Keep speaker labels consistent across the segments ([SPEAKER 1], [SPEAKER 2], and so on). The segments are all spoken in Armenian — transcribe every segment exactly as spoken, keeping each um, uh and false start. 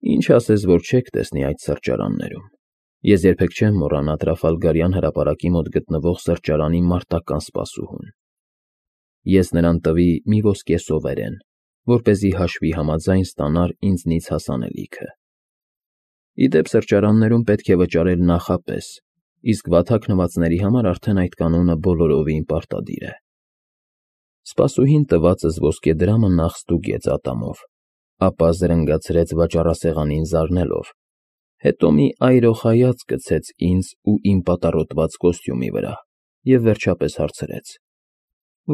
[SPEAKER 1] Ինչ ասես, որ չեք տեսնի այդ սրճարաններում։ Ես երբեք չեմ մոռանա Տրաֆալգարյան հրապարակի մոտ գտնվող սրճարանի մարտական սպասուհուն։ Ես նրան տվի մի ոսկե սովերեն, որպեսզի հաշվի համաձայն ստանար ինձնից հասանելիքը։ Ի դեպ, սրճարաններում պետք է վճարել նախապես, իսկ վատթաքնվածների համար արդեն այդ կանոնը բոլորովին պարտադիր է։ Սպասուհին տվածս ոսկե դրամը նախ ստուգեց ատամով, ապա զրնգացրեց վաճառասեղանին զարնելով, հետո մի այրող հայացք գցեց ինձ ու իմ պատառոտված կոստյումի վրա և վերջապես հարցրեց.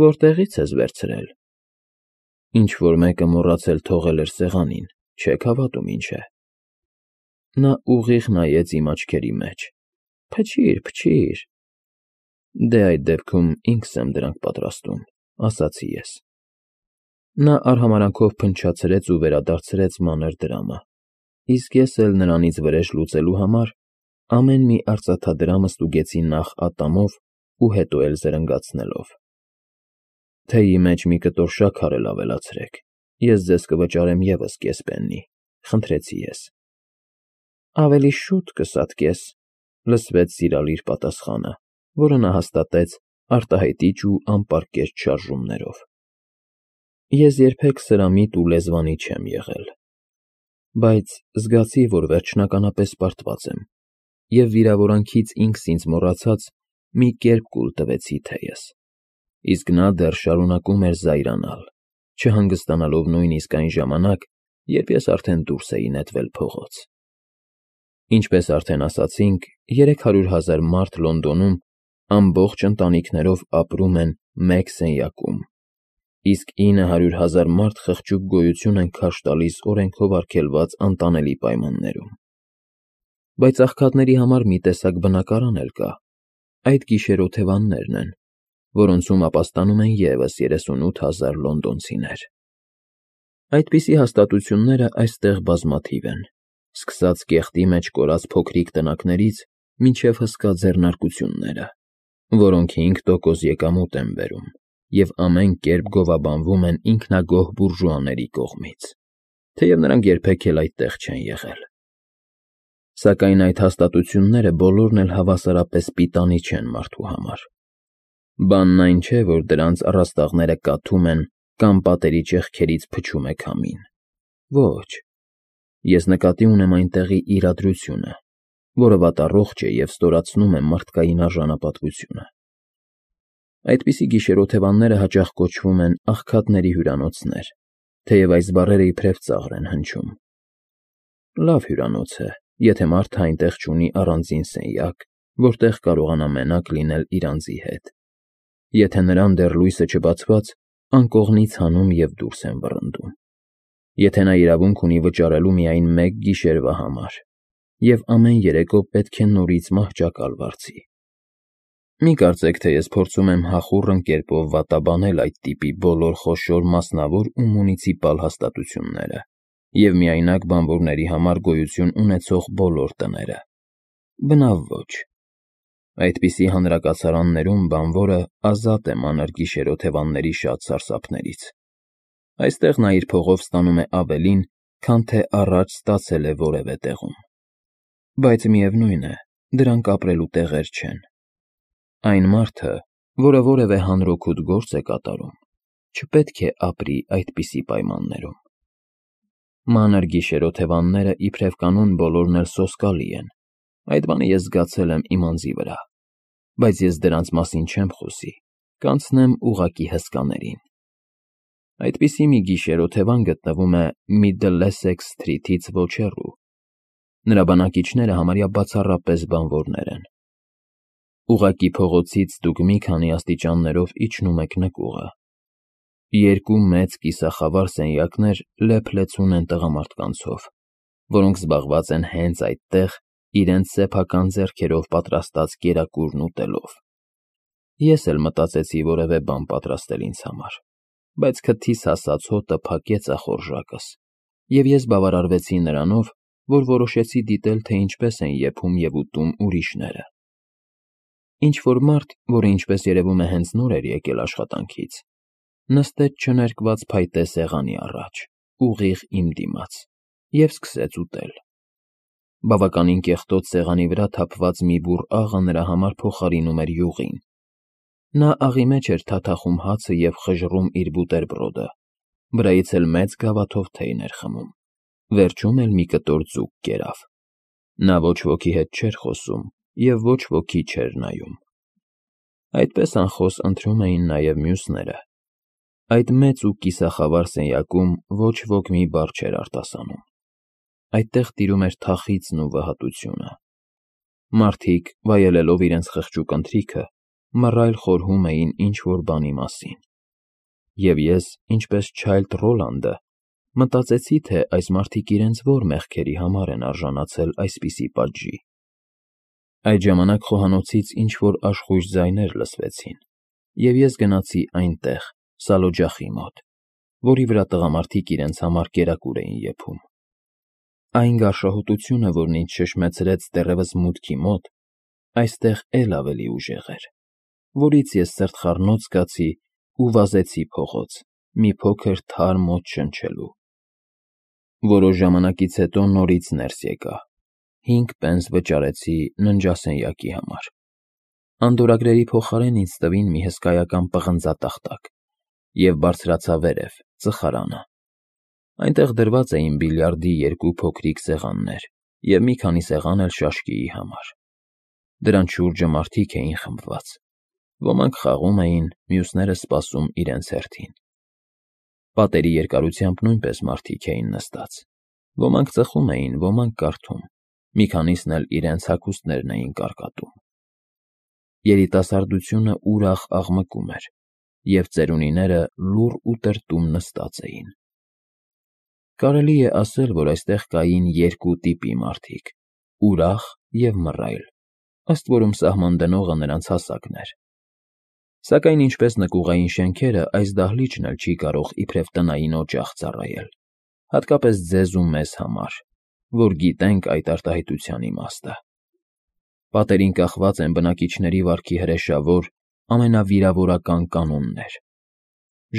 [SPEAKER 1] «Որտեղի՞ց ես վերցրել»։ Ինչ֊որ մեկը մոռացել թողել էր սեղանին, չեք հավատում, ինչ է։ Նա ուղիղ նայեց իմ աչքերի մեջ։ «Փչիր, փչիր»։ «Դե այդ դեպքում ինքս եմ դրանք պատրաստում», ասացի ես։ Նա արհամարհանքով փնչացրեց ու վերադարձրեց մանր դրամը, իսկ ես էլ նրանից վրեժ լուծելու համար ամեն մի արծաթադրամը ստուգեցի նախ ատամով ու հետո էլ զրնգացնելով։ «Թեյի մեջ մի կտոր շաքար էլ ավելացրեք, ես ձեզ կվճարեմ ևս կես պեննի», խնդրեցի ես։ «Ավելի շուտ կսատկես», լսվեց սիրալիր պատասխանը, որը նա հաստատեց արտահայտիչ ու անպարկեշտ շարժումներով։ Ես երբեք սրամիտ ու լեզվանի չեմ եղել, բայց զգացի, որ վերջնականապես պարտված եմ, և վիրավորանքից ինքս ինձ մոռացած մի կերպ կուլ տվեցի թեյս, իսկ նա դեռ շարունակում էր զայրանալ, չհանգստանալով նույնիսկ այն ժամանակ, երբ ես արդեն դուրս էի նետվել փողոց։ Ինչպես արդեն ասացինք, երեք հարյուր հազար մարդ Լոնդոնում ամբողջ ընտանիքներով ապրում են մեկ սենյակում, իսկ ինը հարյուր հազար մարդ խղճուկ գոյություն են քարշ տալիս օրենքով արգելված անտանելի պայմաններում։ Բայց աղքատների համար մի տեսակ բնակարան էլ կա, այդ գիշերօթևաններն են, որոնցում ապաստանում են ևս երեսունութ հազար լոնդոնցիներ։ Այդպիսի հաստատությունները այստեղ բազմաթիվ են, սկսած կեղտի մեջ կորած փոքրիկ տնակներից մինչև հսկա ձեռնարկությունները, որոնք հինգ տոկոս եկամուտ են բերում և ամեն կերպ գովաբանվում են ինքնագոհ բուրժուաների կողմից, թեև նրանք երբեք էլ այդտեղ չեն եղել։ Սակայն այդ հաստատությունները բոլորն էլ հավասարապես պիտանի չեն մարդու համար։ Բանն այն չէ, որ դրանց առաստաղները կաթում են կամ պատերի ճեղքերից փչում է քամին։ Ոչ, ես նկատի ունեմ այնտեղի իրադրությունը, որը վատառողջ է և ստորացնում է մարդկային արժանապատվությունը։ Այդպիսի գիշերօթևանները հաճախ կոչվում են աղքատների հյուրանոցներ, թեև այս բառերը իբրև ծաղր են հնչում։ Լավ հյուրանոց է, եթե մարդը այնտեղ չունի առանձին սենյակ, որտեղ կարողանա մենակ լինել իր անձի հետ։ Եթե նրան դեռ լույսը չբացված, անկողնից հանում և դուրս են վռնդում։ Եթե նա իրավունք ունի վճարելու միայն մեկ գիշերվա համար, և ամեն երեկո պետք է նորից մահճակալ վարձի։ Մի կարծեք, թե ես փորձում եմ հախուռն կերպով վատաբանել այդ տիպի բոլոր խոշոր մասնավոր ու մունիցիպալ հաստատությունները և միայնակ բանվորների համար գոյություն ունեցող բոլոր տները։ Բնավ ոչ։ Այդպիսի հանրակացարաններում բանվորը ազատ է մանր գիշերօթևանների շատ սարսափներից։ Այստեղ նա իր փողով ստանում է ավելին, քան թե առաջ ստացել է որևէ տեղում։ Բայց միևնույն է, դրանք ապրելու տեղեր չեն։ Այն մարդը, որը որևէ հանրօգուտ գործ է կատարում, չպետք է ապրի այդպիսի պայմաններում։ Մանր գիշերօթևանները իբրև կանոն բոլորն էլ սոսկալի են, այդ բանը ես զգացել եմ իմ անձի վրա, բայց ես դրանց մասին չեմ խոսի, կանցնեմ ուղղակի հսկաներին։ Այդպիսի մի գիշերօթևան գտնվում է Միդլեսեքս Սթրիթից ոչ հեռու։ Նրա բնակիչները համարյա բացառապես բանվորներ են։ Ուղղակի փողոցից դուք մի քանի աստիճաններով իջնում եք նկուղը։ Երկու մեծ կիսախավար սենյակներ լեփ-լեցուն են տղամարդկանցով, որոնք զբաղված են հենց այդտեղ իրենց սեփական ձեռքերով պատրաստած կերակուրն ուտելով։ Ես էլ մտածեցի որևէ բան պատրաստել ինձ համար, բայց քթիս հասած հոտը փակեց ախորժակս, և ես բավարարվեցի նրանով, որ որոշեցի դիտել, թե ինչպես են եփում և ուտում ուրիշները։ Ինչ֊որ մարդ, որը ինչպես երևում է հենց նոր էր եկել աշխատանքից, նստեց չներկված փայտե սեղանի առաջ, ուղիղ իմ դիմաց, և սկսեց ուտել։ Բավականին կեղտոտ սեղանի վրա թափված մի բուռ աղը նրա համար փոխարինում էր յուղին։ Նա աղի մեջ էր թաթախում հացը և խժռում իր բուտերբրոդը, վրայից էլ մեծ գավաթով թեյն էր խմում, վերջում էլ մի կտոր ձուկ կերավ։ Նա ոչ ոքի հետ չէր խոսում և ոչ ոքի չէր նայում։ Այդպես անխոս ընթրում էին նաև մյուսները։ Այդ մեծ ու կիսախավար սենյակում ոչ ոք մի բառ չէր արտասանում։ Այդտեղ տիրում էր թախիծն ու վհատությունը։ Մարդիկ, վայելելով իրենց խղճուկ ընթրիքը, մռայլ խորհում էին ինչ֊որ բանի մասին։ Եվ ես, ինչպես Չայլդ Ռոլանդը, մտածեցի, թե այս մարդիկ իրենց ո՞ր մեղքերի համար են արժանացել այսպիսի պատժի։ Այդ ժամանակ խոհանոցից ինչ֊որ աշխույժ ձայներ լսվեցին, և ես գնացի այնտեղ, սալօջախի մոտ, որի վրա տղամարդիկ իրենց համար կերակուր էին եփում։ Այն գարշահոտությունը, որն ինձ շշմեցրեց դեռևս մուտքի մոտ, այստեղ էլ ավելի ուժեղ էր, որից ես սրտխառնոց զգացի ու վազեցի փողոց, մի փոքր թարմ օդ շնչելու։ Որոշ ժամանակից հետո նորից ներս եկա։ Հինգ պենս վճարեցի ննջասենյակի համար։ Անդորրագրերի փոխարեն ինձ տվին մի հսկայական պղնձատախտակ և բարձրացա վերև, ծխարանը։ Այնտեղ դրված էին բիլիարդի երկու փոքրիկ սեղաններ և մի քանի սեղան էլ շաշկիի համար։ Դրանց շուրջը մարդիկ էին խմբված։ Ոմանք խաղում էին, մյուսները սպասում իրենց հերթին։ Պատերի երկարությամբ նույնպես մարդիկ էին նստած։ Ոմանք ծխում էին, ոմանք կարդում, մի քանիսն էլ իրենց հագուստներն էին կարկատում։ Երիտասարդությունը ուրախ աղմկում էր, և ծերունիները լուռ ու տրտում նստած էին։ Կարելի է ասել, որ այստեղ կային երկու տիպի մարդիկ՝ ուրախ և մռայլ, ըստ որում սահման դնողը նրանց հասակն էր։ Սակայն ինչպես նկուղային շենքերը, այս դահլիճն էլ չի կարող իբրև տնային օջախ ծառայել, հատկապես ձեզ ու մեզ համար, որ գիտենք այդ արտահայտության իմաստը։ Պատերին կախված են բնակիչների վարքի հրեշավոր, ամենավիրավորական կանոններ։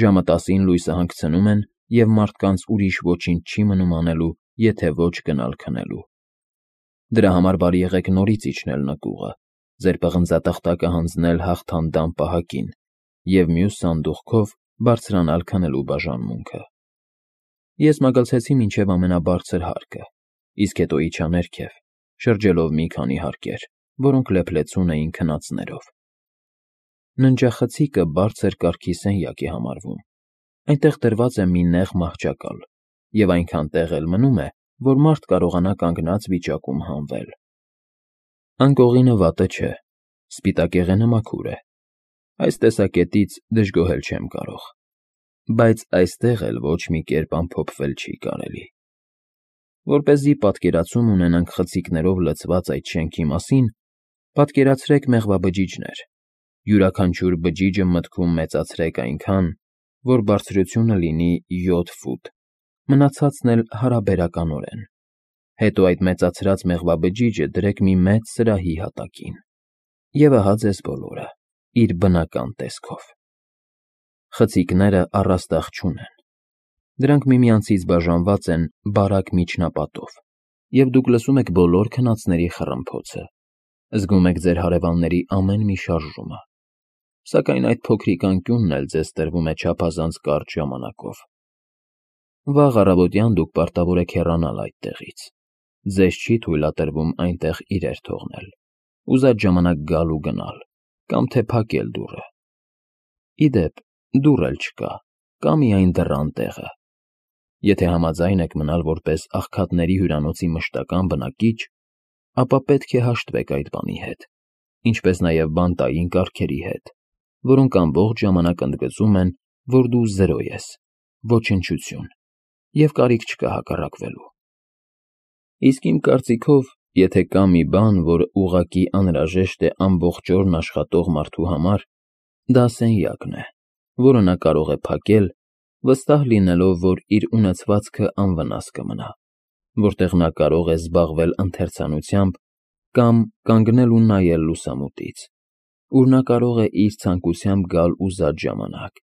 [SPEAKER 1] Ժամը տասին լույսը հանգցնում են, և մարդկանց ուրիշ ոչինչ չի մնում անելու, եթե ոչ գնալ քնելու։ Դրա համար բարի եղեք նորից իջնել նկուղը, ձեր պղնձատախտակը հանձնել հաղթանդամ պահակին և մյուս սանդուղքով բարձրանալ քնելու բաժանմունքը։ Ես մագլցեցի մինչև ամենաբարձր հարկը, իսկ հետո իջա ներքև, շրջելով մի քանի հարկեր, որոնք լեփլեցուն էին քնածներով։ Ննջախցիկը բարձր կարգի սենյակ է համարվում։ Այնտեղ դրված է մի նեղ մահճակալ, և այնքան տեղ էլ մնում է, որ մարդ կարողանա կանգնած վիճակում հանվել։ Անկողինը վատը չէ, սպիտակեղենը մաքուր է։ Այս տեսակետից դժգոհել չեմ կարող։ Բայց այստեղ էլ ոչ մի կերպ ամփոփվել չի կարելի։ Որպեսզի պատկերացում ունենանք խցիկներով լցված այդ շենքի մասին, պատկերացրեք մեղվաբջիջներ։ Յուրաքանչյուր բջիջը մտքում մեծացրեք այնքան, որ բարձրությունը լինի յոթ ֆուտ, մնացածն էլ հարաբերականորեն։ Հետո այդ մեծացրած մեղվաբջիջը դրեք մի մեծ սրահի հատակին։ Եվ ահա ձեզ բոլորը, իր բնական տեսքով։ Խցիկները առաստաղ չունեն։ Դրանք միմյանցից բաժանված են բարակ միջնապատով, և դուք լսում եք բոլոր քնածների խռմփոցը, զգում եք ձեր հարևանների ամեն մի շարժումը։ Սակայն այդ փոքրիկ անկյունն էլ ձեզ տրվում է չափազանց կարճ ժամանակով։ Վաղ առավոտյան դուք պարտավոր եք հեռանալ այդտեղից։ Ձեզ չի թույլատրվում այնտեղ իրեր թողնել, ուզած ժամանակ գալ ու գնալ, կամ թե փակել դուռը։ Ի դեպ, դուռ էլ չկա, կա միայն դռան տեղը։ Եթե համաձայն եք մնալ որպես աղքատների հյուրանոցի մշտական բնակիչ, ապա պետք է հաշտվեք այդ բանի հետ, ինչպես նաև բանտային կարգերի հետ, որոնք ամբողջ ժամանակ ընդգծում են, որ դու զրո ես, ոչնչություն, և կարիք չկա հակառակվելու։ Իսկ իմ կարծիքով, եթե կա մի բան, որ ուղղակի անհրաժեշտ է ամբողջ օրն աշխատող մարդու համար, դա սենյակն է, որը նա կարող է փակել, վստահ լինելով, որ իր ունեցվածքը անվնաս կմնա, որտեղ նա կարող է զբաղվել ընթերցանությամբ կամ կանգնել ու նայել լուսամուտից, ուր նա կարող է իր ցանկությամբ գալ ուզած ժամանակ,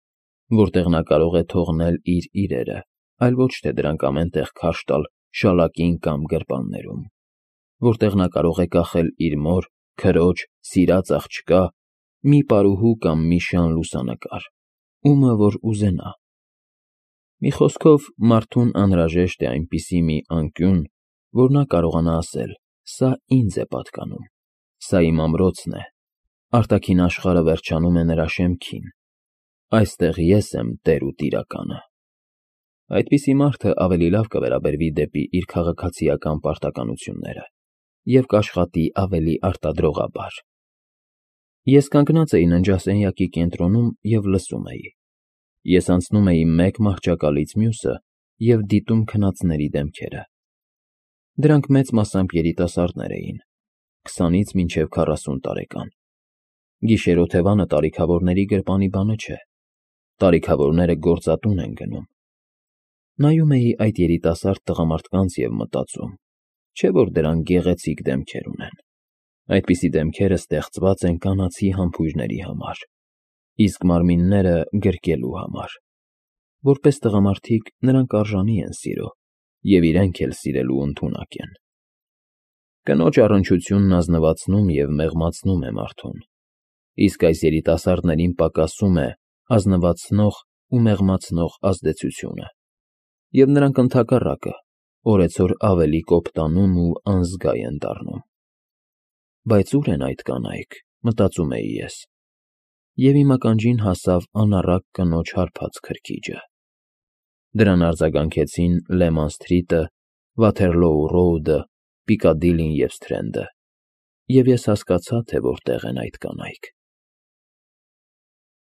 [SPEAKER 1] որտեղ նա կարող է թողնել իր իրերը, այլ ոչ թե դրանք ամեն տեղ քարշ տալ շալակին կամ գրպաններում, որտեղ նա կարող է կախել իր մոր, քրոջ, սիրած աղջկա, մի պարուհու կամ մի շան լուսանկար, ումը որ ուզենա։ Մի խոսքով, մարդուն անհրաժեշտ է այնպիսի մի անկյուն, որ նա կարողանա ասել. «Սա ինձ է պատկանում, սա իմ ամրոցն է, արտաքին աշխարհը վերջանում է նրա շեմքին, այստեղ ես եմ տեր ու տիրականը»։ Այդպիսի մարդը ավելի լավ կվերաբերվի դեպի իր քաղաքացիական պարտականությունները և կաշխատի ավելի արտադրողաբար։ Ես կանգնած էի ննջասենյակի կենտրոնում և լսում էի։ Ես անցնում էի մեկ մահճակալից մյուսը և դիտում քնածների դեմքերը։ Դրանք մեծ մասամբ երիտասարդներ էին, քսանից մինչև քառասուն տարեկան։ Գիշերօթևանը տարիքավորների գրպանի բանը չէ, տարիքավորները գործատուն են գնում։ Նայում էի այդ երիտասարդ տղամարդկանց և մտածում. չէ՞ որ դրանք գեղեցիկ դեմքեր ունեն։ Այդպիսի դեմքերը ստեղծված են կանացի համբույրների համար, իսկ մարմինները գրկելու համար։ Որպես տղամարդիկ նրանք արժանի են սիրո և իրենք էլ սիրելու ընդունակ են։ Կնոջ առնչությունն ազնվացնում և մեղմացնում է մարդուն, իսկ այս երիտասարդներին պակասում է ազնվացնող ու մեղմացնող ազդեցությունը, և նրանք ընդհակառակը օրեցօր ավելի կոպտանում ու անզգա են դառնում։ Բայց ո՞ւր են այդ կանայք, մտածում էի ես, և իմ ականջին հասավ անառակ կնոջ հարբած քրքիջը։ Դրան արձագանքեցին Լեման Սթրիթը, Վաթերլոու Ռոուդը, Պիկադիլին և Սթրենդը, և ես հասկացա, թե որտեղ են այդ կանայք։